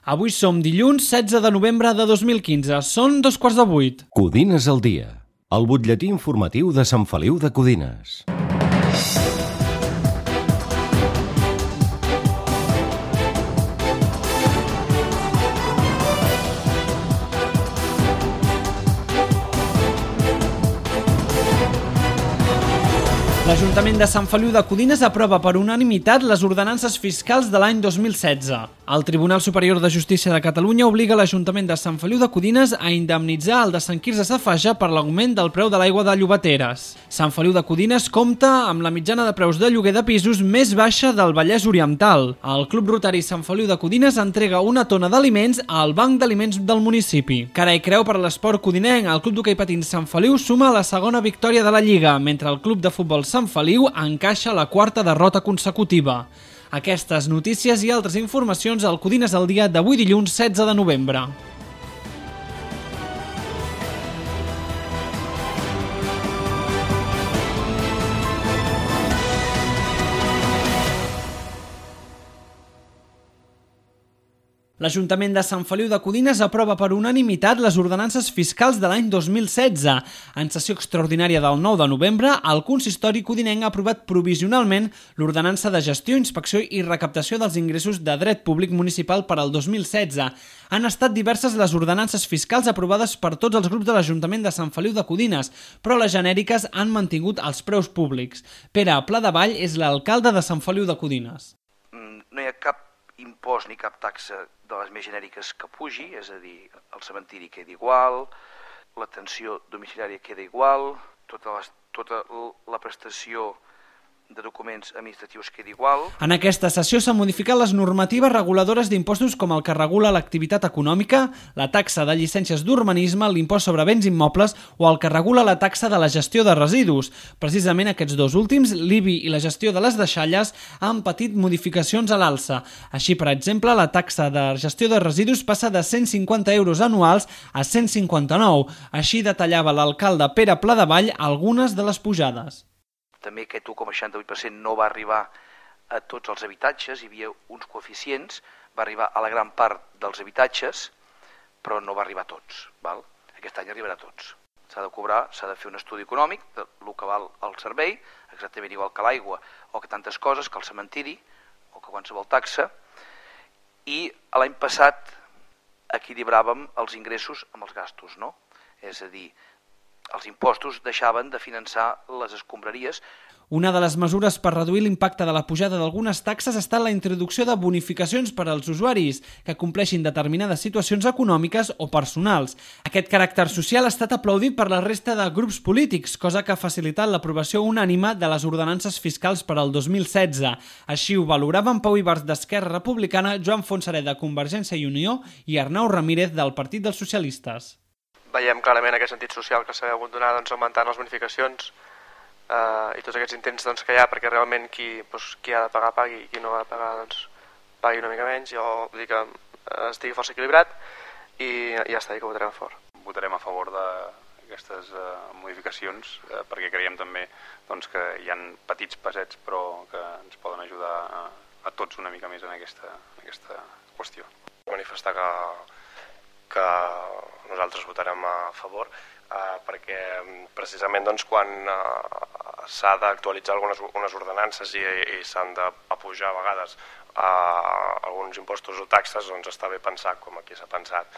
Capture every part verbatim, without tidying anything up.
Avui som dilluns setze de novembre de dos mil quinze. Són dos quarts de vuit. Codines al dia. El butlletí informatiu de Sant Feliu de Codines. L'Ajuntament de Sant Feliu de Codines aprova per unanimitat les ordenances fiscals de l'any dos mil setze. El Tribunal Superior de Justícia de Catalunya obliga l'Ajuntament de Sant Feliu de Codines a indemnitzar el de Sant Quirze Safaja per l'augment del preu de l'aigua de Llobateres. Sant Feliu de Codines compta amb la mitjana de preus de lloguer de pisos més baixa del Vallès Oriental. El Club Rotari Sant Feliu de Codines entrega una tona d'aliments al Banc d'Aliments del municipi. Cara i creu per l'esport codinenc, el Club d'Hoquei Patins Sant Feliu suma la segona victòria de la Lliga, mentre el Club de Futbol Sant Feliu encaixa la quarta derrota consecutiva. Aquestes notícies i altres informacions al Codines al dia d'avui dilluns setze de novembre. L'Ajuntament de Sant Feliu de Codines aprova per unanimitat les ordenances fiscals de l'any dos mil setze. En sessió extraordinària del nou de novembre, el consistori codinenc ha aprovat provisionalment l'ordenança de gestió, inspecció i recaptació dels ingressos de dret públic municipal per al dos mil setze. Han estat diverses les ordenances fiscals aprovades per tots els grups de l'Ajuntament de Sant Feliu de Codines, però les genèriques han mantingut els preus públics. Pere Pladevall és l'alcalde de Sant Feliu de Codines. No hi ha cap impost ni cap taxa de les més genèriques que pugi, és a dir, el cementiri queda igual, l'atenció domiciliària queda igual, tota la, tota la prestació de documents administratius queda igual. En aquesta sessió s'han modificat les normatives reguladores d'impostos com el que regula l'activitat econòmica, la taxa de llicències d'urbanisme, l'impost sobre béns immobles o el que regula la taxa de la gestió de residus. Precisament aquests dos últims, l'I B I i la gestió de les deixalles, han patit modificacions a l'alça. Així, per exemple, la taxa de gestió de residus passa de cent cinquanta euros anuals a cent cinquanta-nou. Així detallava l'alcalde Pere Pladevall algunes de les pujades. També aquest u coma seixanta-vuit per cent no va arribar a tots els habitatges, hi havia uns coeficients, va arribar a la gran part dels habitatges, però no va arribar a tots. Val? Aquest any arribarà a tots. S'ha de cobrar, s'ha de fer un estudi econòmic del que val el servei, exactament igual que l'aigua o que tantes coses, que el cementiri o que qualsevol taxa, i l'any passat equilibràvem els ingressos amb els gastos, no? És a dir, els impostos deixaven de finançar les escombraries. Una de les mesures per reduir l'impacte de la pujada d'algunes taxes ha estat la introducció de bonificacions per als usuaris que compleixin determinades situacions econòmiques o personals. Aquest caràcter social ha estat aplaudit per la resta de grups polítics, cosa que ha facilitat l'aprovació unànime de les ordenances fiscals per al dos mil setze. Així ho valoraven Pau Ibars d'Esquerra Republicana, Joan Fontserè de Convergència i Unió i Arnau Ramírez del Partit dels Socialistes. Veiem clarament aquest sentit social que s'ha hagut donar doncs, augmentant les bonificacions eh, i tots aquests intents doncs, que hi ha perquè realment qui, doncs, qui ha de pagar pagui i qui no ha de pagar doncs, pagui una mica menys. Jo vull dir que eh, estigui força equilibrat i ja està, i que votarem a favor. Votarem a favor d'aquestes eh, modificacions eh, perquè creiem també doncs, que hi ha petits passets però que ens poden ajudar a, a tots una mica més en aquesta, en aquesta qüestió. Manifestar que que nosaltres votarem a favor eh, perquè precisament doncs, quan eh, s'ha d'actualitzar algunes unes ordenances i, i s'han de pujar a vegades eh, alguns impostos o taxes, doncs està bé pensar, com aquí s'ha pensat,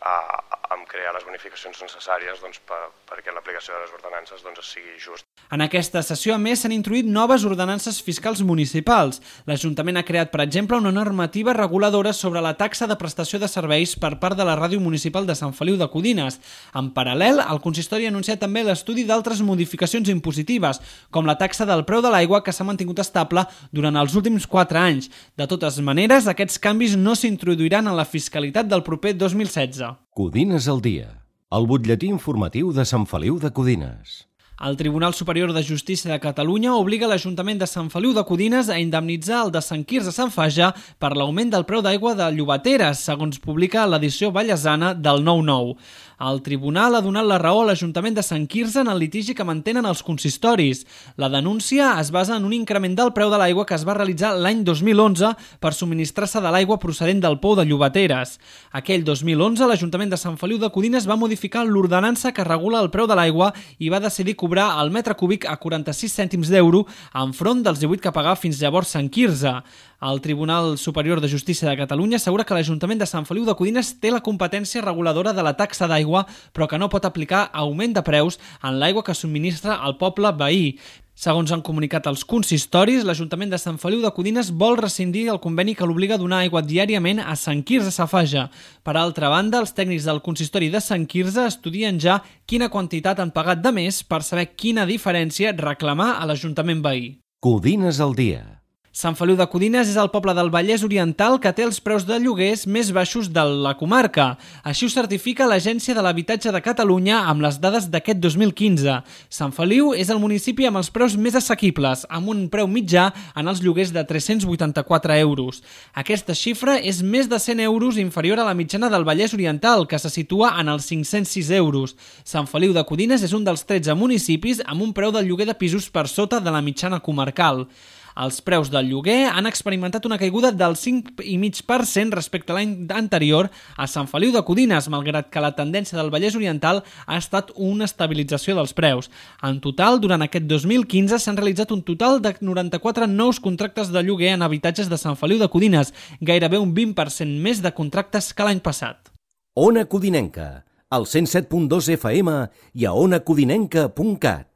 eh, en crear les bonificacions necessàries doncs, per, perquè l'aplicació de les ordenances doncs, sigui just. En aquesta sessió, a més, s'han introduït noves ordenances fiscals municipals. L'Ajuntament ha creat, per exemple, una normativa reguladora sobre la taxa de prestació de serveis per part de la Ràdio Municipal de Sant Feliu de Codines. En paral·lel, el consistori ha anunciat també l'estudi d'altres modificacions impositives, com la taxa del preu de l'aigua, que s'ha mantingut estable durant els últims quatre anys. De totes maneres, aquests canvis no s'introduiran en la fiscalitat del proper dos mil setze. Codines al dia, el butlletí informatiu de Sant Feliu de Codines. El Tribunal Superior de Justícia de Catalunya obliga l'Ajuntament de Sant Feliu de Codines a indemnitzar el de Sant Quirze Sant Faja per l'augment del preu d'aigua de Llobateres, segons publica l'edició vallesana del nou nou. El tribunal ha donat la raó a l'Ajuntament de Sant Quirze en el litigi que mantenen els consistoris. La denúncia es basa en un increment del preu de l'aigua que es va realitzar l'any dos mil onze per subministrar-se de l'aigua procedent del pou de Llobateres. Aquell dos mil onze, l'Ajuntament de Sant Feliu de Codines va modificar l'ordenança que regula el preu de l'aigua i va decidir cobrar el metre cúbic a quaranta-sis cèntims d'euro enfront dels divuit que pagava fins llavors Sant Quirze. El Tribunal Superior de Justícia de Catalunya assegura que l'Ajuntament de Sant Feliu de Codines té la competència reguladora de la taxa d'aigua, però que no pot aplicar augment de preus en l'aigua que subministra al poble veí. Segons han comunicat els consistoris, l'Ajuntament de Sant Feliu de Codines vol rescindir el conveni que l'obliga a donar aigua diàriament a Sant Quirze Safaja. Per altra banda, els tècnics del consistori de Sant Quirze estudien ja quina quantitat han pagat de més per saber quina diferència reclamar a l'Ajuntament veí. Codines al dia. Sant Feliu de Codines és el poble del Vallès Oriental que té els preus de lloguers més baixos de la comarca. Així ho certifica l'Agència de l'Habitatge de Catalunya amb les dades d'aquest dos mil quinze. Sant Feliu és el municipi amb els preus més assequibles, amb un preu mitjà en els lloguers de tres-cents vuitanta-quatre euros. Aquesta xifra és més de cent euros inferior a la mitjana del Vallès Oriental, que se situa en els cinc-cents sis euros. Sant Feliu de Codines és un dels tretze municipis amb un preu del lloguer de pisos per sota de la mitjana comarcal. Els preus del lloguer han experimentat una caiguda del cinc coma cinc per cent respecte a l'any anterior a Sant Feliu de Codines, malgrat que la tendència del Vallès Oriental ha estat una estabilització dels preus. En total, durant aquest dos mil quinze s'han realitzat un total de noranta-quatre nous contractes de lloguer en habitatges de Sant Feliu de Codines, gairebé un vint per cent més de contractes que l'any passat. Ona Codinenca, al cent set punt dos F M i a ona codinenca punt cat.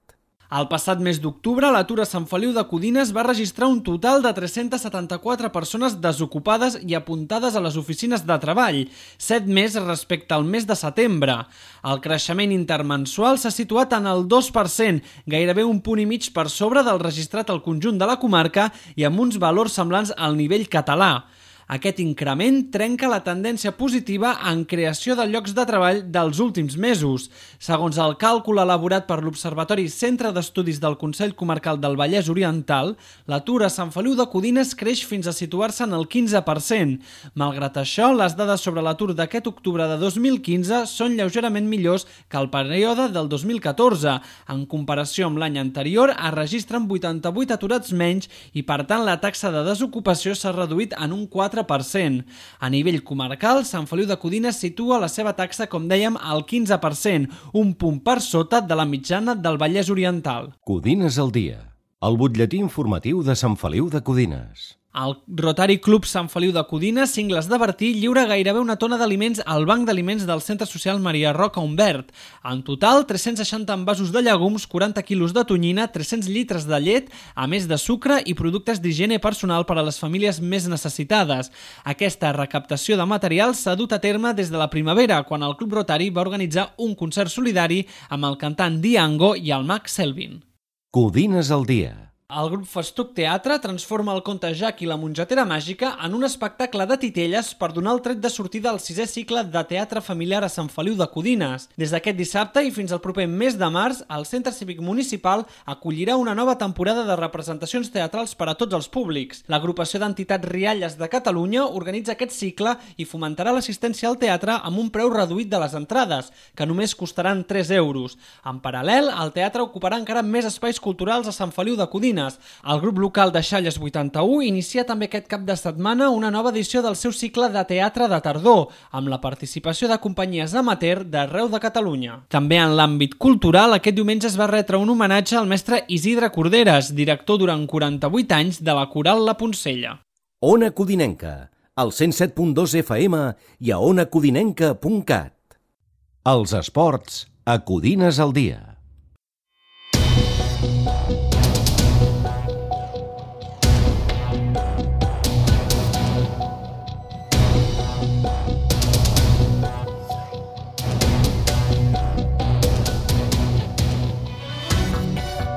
El passat mes d'octubre, l'atur a Sant Feliu de Codines va registrar un total de tres-centes setanta-quatre persones desocupades i apuntades a les oficines de treball, set més respecte al mes de setembre. El creixement intermensual s'ha situat en el dos per cent, gairebé un punt i mig per sobre del registrat al conjunt de la comarca i amb uns valors semblants al nivell català. Aquest increment trenca la tendència positiva en creació de llocs de treball dels últims mesos. Segons el càlcul elaborat per l'Observatori Centre d'Estudis del Consell Comarcal del Vallès Oriental, l'atur a Sant Feliu de Codines creix fins a situar-se en el quinze per cent. Malgrat això, les dades sobre l'atur d'aquest octubre de dos mil quinze són lleugerament millors que el període del dos mil catorze. En comparació amb l'any anterior, es registren vuitanta-vuit aturats menys i, per tant, la taxa de desocupació s'ha reduït en un quatre per cent. A nivell comarcal, Sant Feliu de Codines situa la seva taxa, com dèiem, al quinze per cent, un punt per sota de la mitjana del Vallès Oriental. Codines al dia, el butlletí informatiu de Sant Feliu de Codines. El Rotary Club Sant Feliu de Codines, Cingles de Bertí, lliura gairebé una tona d'aliments al Banc d'Aliments del Centre Social Maria Roca Humbert. En total, tres-cents seixanta envasos de llegums, quaranta quilos de tonyina, tres-cents litres de llet, a més de sucre i productes d'higiene personal per a les famílies més necessitades. Aquesta recaptació de material s'ha dut a terme des de la primavera, quan el Club Rotary va organitzar un concert solidari amb el cantant Diango i el mag Selvin. Codines al dia. El grup Festuc Teatre transforma el conte Jack i la mongetera màgica en un espectacle de titelles per donar el tret de sortida al sisè cicle de teatre familiar a Sant Feliu de Codines. Des d'aquest dissabte i fins al proper mes de març, el Centre Cívic Municipal acollirà una nova temporada de representacions teatrals per a tots els públics. L'agrupació d'entitats Rialles de Catalunya organitza aquest cicle i fomentarà l'assistència al teatre amb un preu reduït de les entrades, que només costaran tres euros. En paral·lel, el teatre ocuparà encara més espais culturals a Sant Feliu de Codines. El grup local de Xalles vuitanta-u inicia també aquest cap de setmana una nova edició del seu cicle de teatre de tardor, amb la participació de companyies amateur d'arreu de Catalunya. També en l'àmbit cultural, aquest diumenge es va retre un homenatge al mestre Isidre Corderes, director durant quaranta-vuit anys de la Coral La Poncella. Ona Codinenca, al cent set punt dos F M i a ona codinenca punt cat. Els esports a Codines al dia.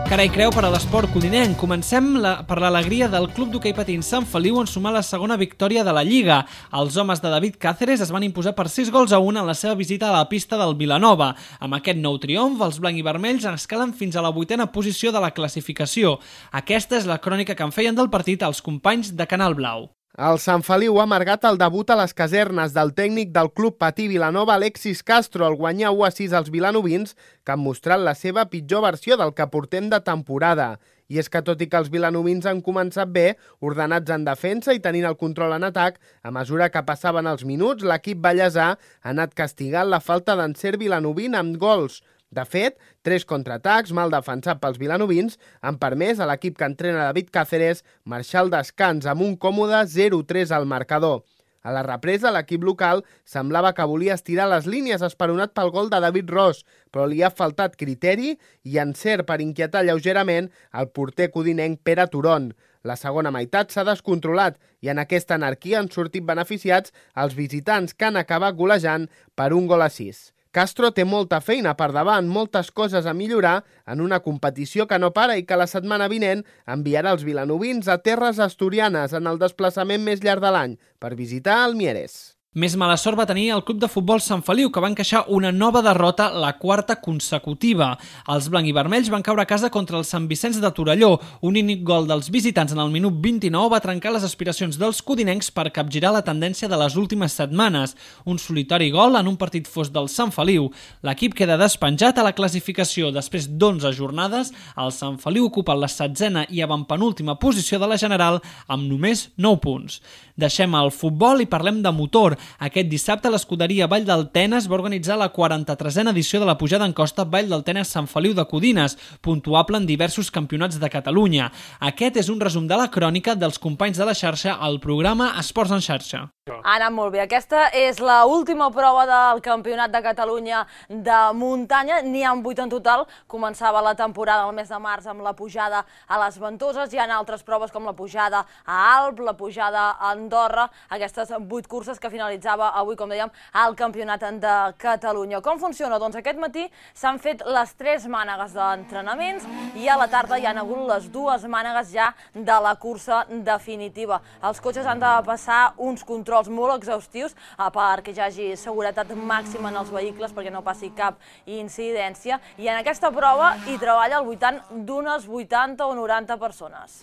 Cara i creu per a l'esport codinenc. Comencem la, per l'alegria del Club d'Hoquei Patins Sant Feliu en sumar la segona victòria de la Lliga. Els homes de David Cáceres es van imposar per sis gols a un en la seva visita a la pista del Vilanova. Amb aquest nou triomf, els blanc i vermells escalen fins a la vuitena posició de la classificació. Aquesta és la crònica que en feien del partit els companys de Canal Blau. El Sant Feliu ha amargat el debut a les casernes del tècnic del Club Patí Vilanova, Alexis Castro, al guanyar u a sis als vilanovins, que han mostrat la seva pitjor versió del que portem de temporada. I és que tot i que els vilanovins han començat bé, ordenats en defensa i tenint el control en atac, a mesura que passaven els minuts, l'equip ballesà ha anat castigant la falta d'encert vilanovín amb gols. De fet, tres contraatacs mal defensats pels vilanovins han permès a l'equip que entrena David Cáceres marxar al descans amb un còmode zero tres al marcador. A la represa, l'equip local semblava que volia estirar les línies esperonat pel gol de David Ros, però li ha faltat criteri i encert per inquietar lleugerament el porter codinenc Pere Turon. La segona meitat s'ha descontrolat i en aquesta anarquia han sortit beneficiats els visitants que han acabat golejant per un gol a sis. Castro té molta feina per davant, moltes coses a millorar en una competició que no para i que la setmana vinent enviarà els vilanovins a terres asturianes en el desplaçament més llarg de l'any per visitar el Mieres. Més mala sort va tenir el Club de Futbol Sant Feliu, que va encaixar una nova derrota, la quarta consecutiva. Els blanc i vermells van caure a casa contra el Sant Vicenç de Torelló. Un únic gol dels visitants en el minut vint-i-nou va trencar les aspiracions dels codinencs per capgirar la tendència de les últimes setmanes. Un solitari gol en un partit fos del Sant Feliu. L'equip queda despenjat a la classificació. Després d'onze jornades, el Sant Feliu ocupa la setzena i avantpenúltima posició de la general amb només nou punts. Deixem el futbol i parlem de motor. Aquest dissabte l'escuderia Vall del Tenes va organitzar la quaranta-tresena edició de la pujada en costa Vall del Tenes Sant Feliu de Codines, puntuable en diversos campionats de Catalunya. Aquest és un resum de la crònica dels companys de la xarxa al programa Esports en xarxa. Ha anat molt bé. Aquesta és l'última prova del Campionat de Catalunya de muntanya. N'hi ha vuit en total. Començava la temporada el mes de març amb la pujada a les Ventoses. Hi ha altres proves com la pujada a Alp, la pujada a Andorra. Aquestes vuit curses que finalitzava avui, com dèiem, al Campionat de Catalunya. Com funciona? Doncs aquest matí s'han fet les tres mànegues d'entrenaments i a la tarda hi ha hagut les dues mànegues ja de la cursa definitiva. Els cotxes han de passar uns controls molt exhaustius perquè hi hagi seguretat màxima en els vehicles, perquè no passi cap incidència, i en aquesta prova hi treballa al voltant d'unes vuitanta o noranta persones.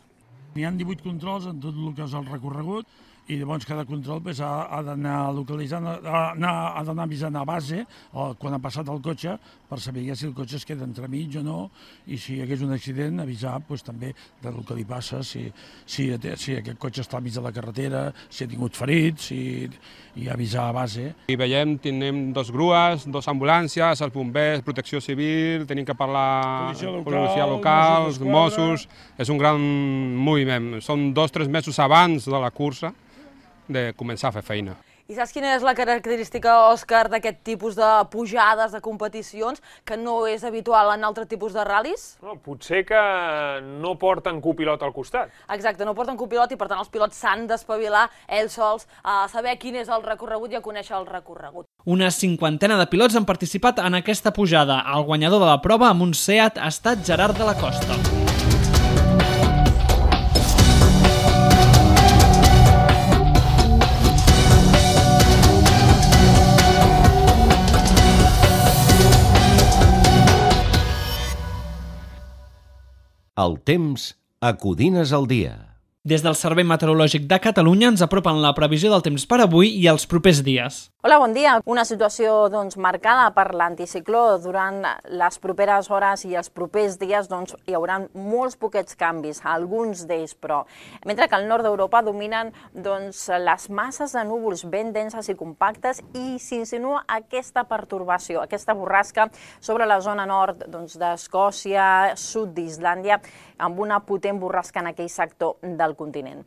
Hi ha divuit controls en tot el que és el recorregut i llavors cada control pues, ha, ha d'anar localitzant, ha, ha d'anar avisant a base o, quan ha passat el cotxe per saber si el cotxe es queda entremig o no, i si hi hagués un accident avisar pues, també del que li passa, si, si, si aquest cotxe està al mig de la carretera, si ha tingut ferits, si, i avisar a base. I veiem, tenim dos grues, dos ambulàncies, els bombers, protecció civil, tenim que parlar policia local, policia local els Mossos, és un gran moviment. Són dos o tres mesos abans de la cursa de començar a fer feina. I saps quina és la característica, Òscar, d'aquest tipus de pujades, de competicions, que no és habitual en altre tipus de ral·lis? No, potser que no porten copilot al costat. Exacte, no porten copilot i per tant els pilots s'han d'espavilar ells sols a saber quin és el recorregut i a conèixer el recorregut. Una cinquantena de pilots han participat en aquesta pujada. El guanyador de la prova amb un Seat ha estat Gerard de la Costa. El temps a Codines al dia. Des del Servei Meteorològic de Catalunya ens apropen la previsió del temps per avui i els propers dies. Hola, bon dia. Una situació doncs, marcada per l'anticicló. Durant les properes hores i els propers dies doncs, hi haurà molts poquets canvis, alguns d'ells, però mentre que al nord d'Europa dominen doncs, les masses de núvols ben denses i compactes i s'insinua aquesta pertorbació, aquesta borrasca sobre la zona nord doncs, d'Escòcia, sud d'Islàndia, amb una potent borrasca en aquell sector del del continent.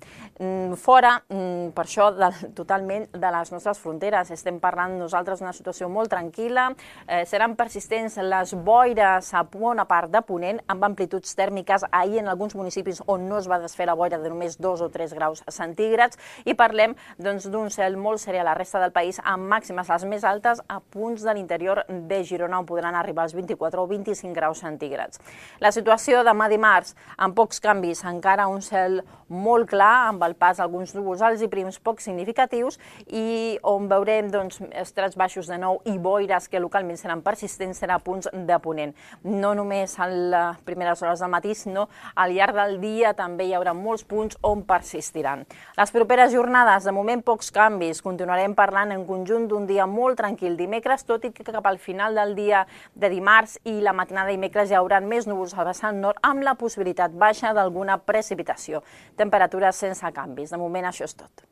Fora, per això, de, totalment de les nostres fronteres, estem parlant nosaltres d'una situació molt tranquil·la, eh, seran persistents les boires a bona part de Ponent, amb amplituds tèrmiques ahir en alguns municipis on no es va desfer la boira de només dos o tres graus centígrads, i parlem doncs, d'un cel molt serè a la resta del país, amb màximes les més altes a punts de l'interior de Girona, on podran arribar als vint-i-quatre o vint-i-cinc graus centígrads. La situació demà dimarts, amb pocs canvis, encara un cel molt clar, amb el pas d'alguns núvols alts i prims poc significatius, i on veurem doncs, estrats baixos de nou i boires que localment seran persistents, serà a punts de Ponent. No només a les primeres hores del matí, sinó al llarg del dia també hi haurà molts punts on persistiran. Les properes jornades, de moment pocs canvis, continuarem parlant en conjunt d'un dia molt tranquil dimecres, tot i que cap al final del dia de dimarts i la matinada de dimecres hi haurà més núvols al vessant nord, amb la possibilitat baixa d'alguna precipitació. Temperatures sense canvis. De moment això és tot.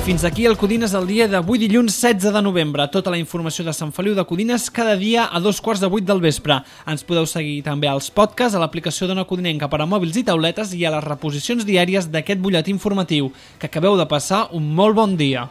Fins aquí el Codines al dia d'avui dilluns setze de novembre. Tota la informació de Sant Feliu de Codines cada dia a dos quarts de vuit del vespre. Ens podeu seguir també als podcasts, a l'aplicació d'Ona Codinenca per a mòbils i tauletes i a les reposicions diàries d'aquest butlletí informatiu. Que acabeu de passar un molt bon dia.